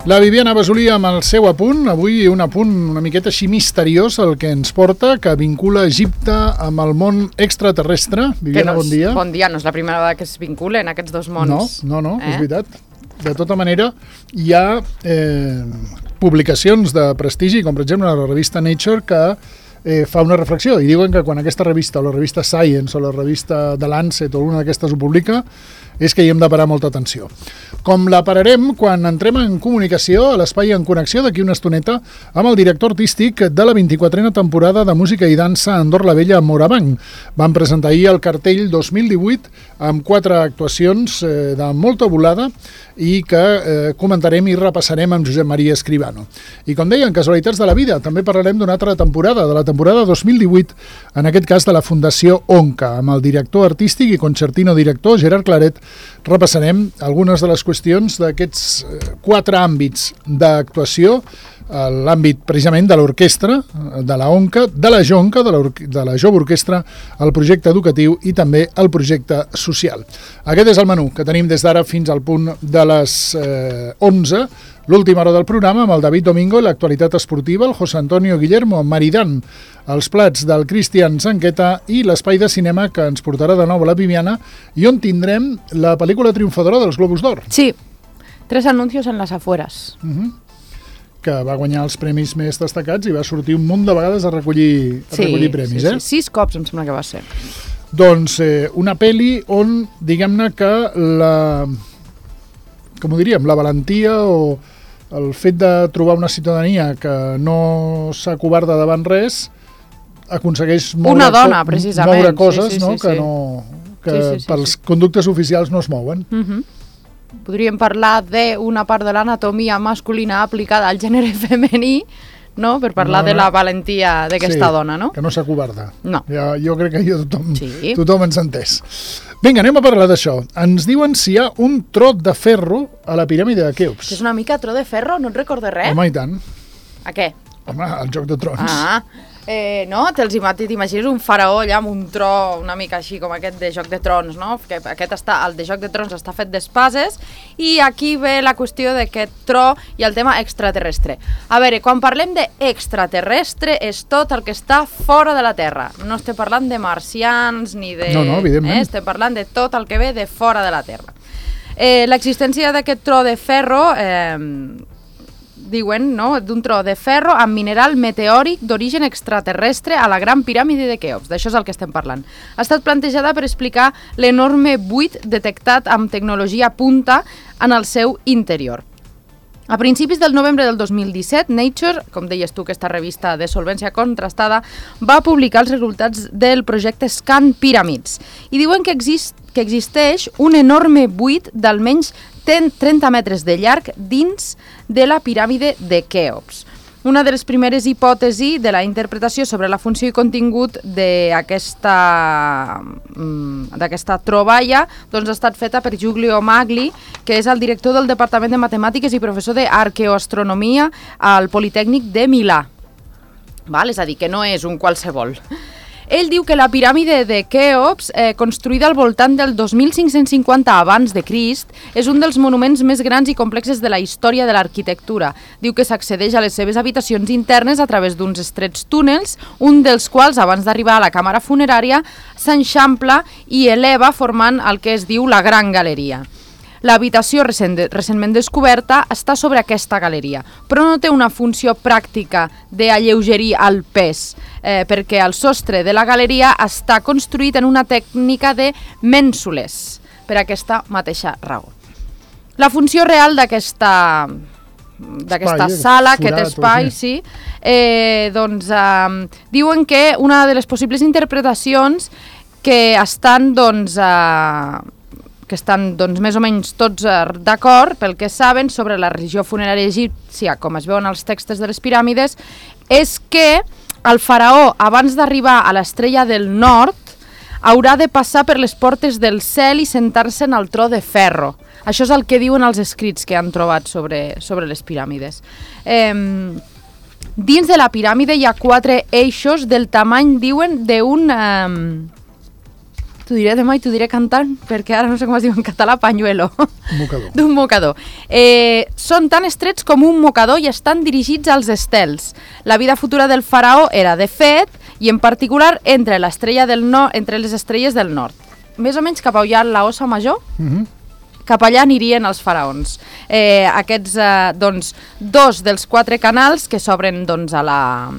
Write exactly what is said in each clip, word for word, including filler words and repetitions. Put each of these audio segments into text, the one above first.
La Viviana Basolí amb el seu apunt, avui un apunt una miqueta així misteriós el que ens porta, que vincula Egipte amb el món extraterrestre. Viviana, no és, bon dia. Bon dia, no és la primera vegada que es vinculen aquests dos mons. No, no, no, eh? És veritat. De tota manera, hi ha eh, publicacions de prestigi, com per exemple la revista Nature, que eh, fa una reflexió, i diuen que quan aquesta revista, o la revista Science, o la revista The Lancet, o alguna d'aquestes ho publica, és que hi hem de parar molta atenció. Com la pararem quan entrem en comunicació a l'Espai en Connexió d'aquí una estoneta amb el director artístic de la vint-i-quatrena temporada de Música i Dansa a Andorra la Vella a Morabanc. Van presentar ahir el cartell dos mil divuit amb quatre actuacions eh, de molta volada i que eh, comentarem i repassarem amb Josep Maria Escribano. I com deien, casualitats de la vida, també parlarem d'una altra temporada, de la temporada dos mil divuit, en aquest cas de la Fundació Onca, amb el director artístic i concertino director Gerard Claret. Repassarem algunes de les qüestions d'aquests quatre àmbits d'actuació, l'àmbit precisament de l'orquestra, de la Onca, de la Jonca, de la, de la Jove Orquestra, el projecte educatiu i també el projecte social. Aquest és el menú que tenim des d'ara fins al punt de les eh, onze, l'última hora del programa amb el David Domingo, l'actualitat esportiva, el José Antonio Guillermo Maridán, els plats del Cristian Zanqueta i l'espai de cinema que ens portarà de nou a la Viviana i on tindrem la pel·lícula triomfadora dels Globus d'Or. Sí, tres anuncios en las afueras. Uh-huh. Que va guanyar els premis més destacats i va sortir un munt de vegades a recollir, a sí, recollir premis. Sí, eh? sí, sis cops em sembla que va ser. Doncs eh, una pel·li on, diguem-ne que la, com ho diríem, la valentia o el fet de trobar una ciutadania que no s'acovarda davant res aconsegueix moure, una dona, precisament. moure coses sí, sí, no? sí, que, sí. no, que sí, sí, sí, pels sí. conductes oficials no es mouen. Uh-huh. Podríem parlar d'una part de l'anatomia masculina aplicada al gènere femení, no? Per parlar no, no. de la valentia d'aquesta sí, dona, no? que no s'acovarda. No. Ja, jo crec que jo tothom, sí. tothom ens ha entès. Vinga, anem a parlar d'això. Ens diuen si hi ha un trot de ferro a la piràmide de Keops. És una mica tro de ferro, no et recordes res? Home, i tant. A què? Home, el Joc de Trons. Ah, eh, no? T'imagines un faraó allà amb un tro una mica així com aquest de Joc de Trons, no? Que aquest està, el de Joc de Trons està fet d'espases i aquí ve la qüestió d'aquest tro i el tema extraterrestre. A veure, quan parlem d'extraterrestre és tot el que està fora de la Terra. No estem parlant de marcians ni de... No, no, evidentment. Eh? Estem parlant de tot el que ve de fora de la Terra. Eh, l'existència d'aquest tro de ferro... Eh, diuen, no?, d'un tro de ferro amb mineral meteòric d'origen extraterrestre a la Gran Piràmide de Keops. D'això és el que estem parlant. Ha estat plantejada per explicar l'enorme buit detectat amb tecnologia punta en el seu interior. A principis del novembre del dos mil disset, Nature, com deies tu, aquesta revista de solvència contrastada, va publicar els resultats del projecte Scan Pyramids i diuen que, exist, que existeix un enorme buit d'almenys trenta metres de llarg dins de la piràmide de Keops. Una de les primeres hipòtesis de la interpretació sobre la funció i contingut d'aquesta d'aquesta troballa doncs, ha estat feta per Giulio Magli, que és el director del Departament de Matemàtiques i professor d'Arqueoastronomia al Politècnic de Milà. Val? És a dir, que no és un qualsevol. Ell diu que la piràmide de Keops, eh, construïda al voltant del dos mil cinc-cents cinquanta abans de Crist, és un dels monuments més grans i complexes de la història de l'arquitectura. Diu que s'accedeix a les seves habitacions internes a través d'uns estrets túnels, un dels quals, abans d'arribar a la càmera funerària, s'enxampla i eleva formant el que es diu la Gran Galeria. L'habitació recent, recentment descoberta està sobre aquesta galeria, però no té una funció pràctica d'alleugerir el pes, eh, perquè el sostre de la galeria està construït en una tècnica de mènsules, per aquesta mateixa raó. La funció real d'aquesta d'aquesta espai, sala, forat, aquest espai, sí, eh, doncs eh, diuen que una de les possibles interpretacions que estan, doncs, eh, que estan doncs, més o menys tots d'acord pel que saben sobre la religió funerària egípcia, com es veuen als textos de les piràmides, és que el faraó, abans d'arribar a l'estrella del nord, haurà de passar per les portes del cel i sentar-se en el tro de ferro. Això és el que diuen els escrits que han trobat sobre, sobre les piràmides. Eh, dins de la piràmide hi ha quatre eixos del tamany, diuen, d'un... Eh, t'ho diré demà i t'ho diré cantant, perquè ara no sé com es diu en català, pañuelo. Mocador. D'un mocador. Eh, són tan estrets com un mocador i estan dirigits als estels. La vida futura del faraó era, de fet, i en particular entre l'estrella del nord, entre les estrelles del nord. Més o menys cap a allà la Ossa Major, Mhm. cap allà anirien els faraons. Eh, aquests, eh, doncs, dos dels quatre canals que s'obren, doncs, a la...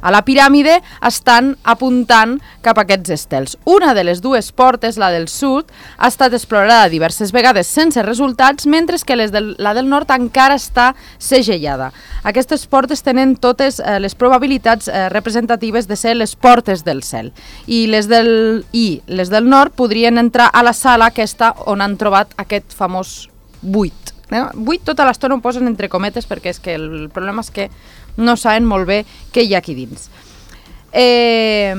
a la piràmide estan apuntant cap a aquests estels. Una de les dues portes, la del sud, ha estat explorada diverses vegades sense resultats, mentre que les del, la del nord encara està segellada. Aquestes portes tenen totes eh, les probabilitats eh, representatives de ser les portes del cel. I les del, I les del nord podrien entrar a la sala aquesta on han trobat aquest famós buit. Eh? Buit tota l'estona ho posen entre cometes perquè és que el problema és que no saben molt bé què hi ha aquí dins. Eh,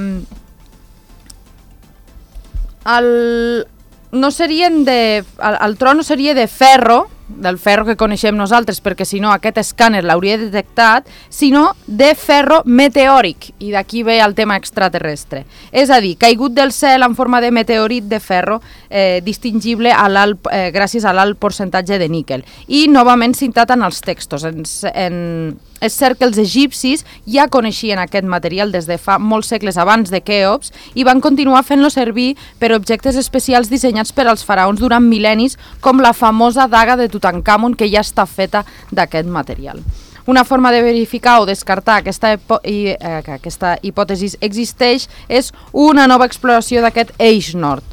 el, no serien de, el, el tro no seria de ferro, del ferro que coneixem nosaltres, perquè si no aquest escàner l'hauria detectat, sinó de ferro meteòric, i d'aquí ve el tema extraterrestre. És a dir, caigut del cel en forma de meteorit de ferro, eh, distingible a l'alt, eh, gràcies a l'alt percentatge de níquel. I novament citat en els textos. En, en, és cert que els egipcis ja coneixien aquest material des de fa molts segles abans de Queops i van continuar fent-lo servir per objectes especials dissenyats per als faraons durant mil·lennis, com la famosa daga de Tutankamon, que ja està feta d'aquest material. Una forma de verificar o descartar aquesta, i, eh, que aquesta hipòtesi existeix és una nova exploració d'aquest eix nord.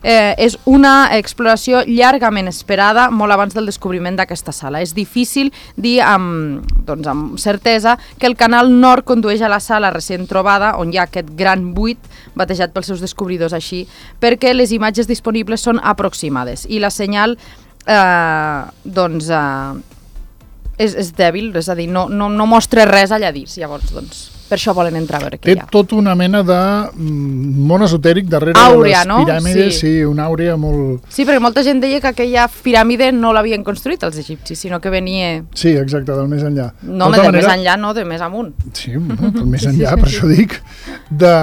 Eh, és una exploració llargament esperada, molt abans del descobriment d'aquesta sala. És difícil dir amb, doncs, amb certesa que el canal nord condueix a la sala recent trobada, on hi ha aquest gran buit batejat pels seus descobridors així, perquè les imatges disponibles són aproximades i la senyal eh, doncs, eh, és, és dèbil, és a dir, no, no, no mostra res allà dins. Llavors, doncs, per això volen entrar a veure què Té hi ha. tot una mena de mm, món esotèric darrere Àurea, de les no? piràmides, sí. Sí. sí, una àurea molt... Sí, perquè molta gent deia que aquella piràmide no l'havien construït els egipcis, sinó que venia... Sí, exacte, del més enllà. No, de, de més enllà, no, de més amunt. Sí, bueno, del més enllà, per això dic. De,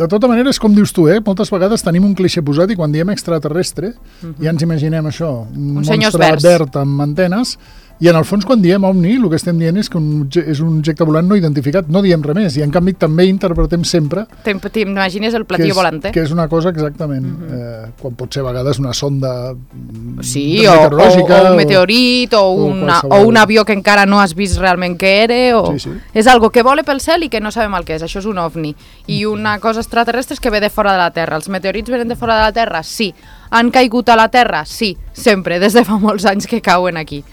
de tota manera, és com dius tu, eh? Moltes vegades tenim un clixé posat i quan diem extraterrestre uh -huh. ja ens imaginem això, un, un monstre verd amb antenes. I en el fons, quan diem ovni, el que estem dient és que un, és un objecte volant no identificat, no diem res més, i en canvi també interpretem sempre... T'imagines el platillo volante? Que és una cosa exactament, uh -huh. eh, quan pot ser a vegades una sonda sí, o, o, o un meteorit, o, o, una, o un avió que encara no has vist realment què era, o... Sí, sí. És algo que vola pel cel i que no sabem el que és, això és un ovni. I una cosa extraterrestre és que ve de fora de la Terra. Els meteorits venen de fora de la Terra? Sí. Han caigut a la Terra? Sí, sempre, des de fa molts anys que cauen aquí.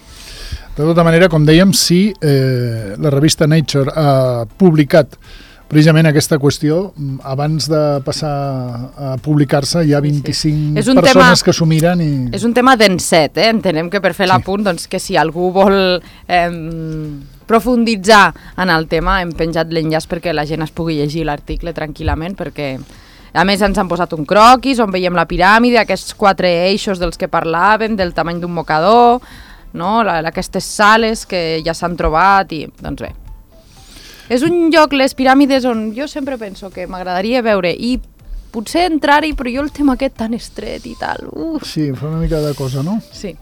De tota manera, com dèiem, sí, eh, la revista Nature ha publicat precisament aquesta qüestió. Abans de passar a publicar-se hi ha vint-i-cinc sí, sí. persones tema, que s'ho miren i... És un tema denset, eh? Entenem que per fer sí. l'apunt, doncs que si algú vol eh, profunditzar en el tema, hem penjat l'enllaç perquè la gent es pugui llegir l'article tranquil·lament, perquè... A més, ens han posat un croquis on veiem la piràmide, aquests quatre eixos dels que parlàvem, del tamany d'un mocador... no? La, aquestes sales que ja s'han trobat i, doncs bé. És un lloc, les piràmides, on jo sempre penso que m'agradaria veure i potser entrar-hi, però jo el tema aquest tan estret i tal... Uf. Sí, fa una mica de cosa, no? Sí,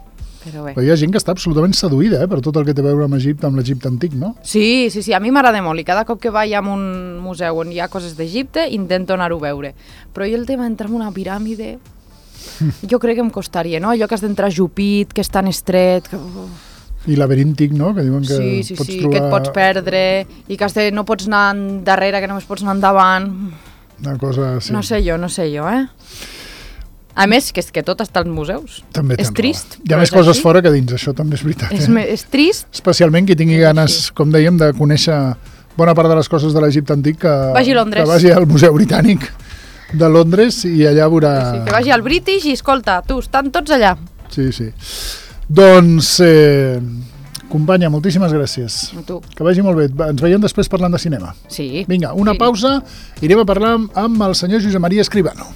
però bé. Però hi ha gent que està absolutament seduïda, eh, per tot el que té a veure amb Egipte, amb l'Egipte antic, no? Sí, sí, sí, a mi m'agrada molt i cada cop que vaig a un museu on hi ha coses d'Egipte intento anar-ho a veure. Però jo el tema d'entrar en una piràmide... Jo crec que em costaria, no? Allò que has d'entrar jupit, que és tan estret... Que... I laberíntic, no? Que diuen que sí, sí, pots sí, trobar... que et pots perdre i que has de, no pots anar darrere, que només pots anar endavant. Una cosa així. No sé jo, no sé jo, eh? A més, que és que tot està als museus. També és trist. Hi ha més coses així. Fora que dins, això també és veritat. És, eh? és trist. Especialment qui tingui ganes, com dèiem, de conèixer bona part de les coses de l'Egipte antic, que vagi, que vagi al Museu Britànic de Londres i allà veurà... Sí, que vagi al British i escolta, tu, estan tots allà. Sí, sí. Doncs, eh, companya, moltíssimes gràcies. A tu. Que vagi molt bé. Ens veiem després parlant de cinema. Sí. Vinga, una sí. pausa. Irem a parlar amb el senyor Josep Maria Escribano.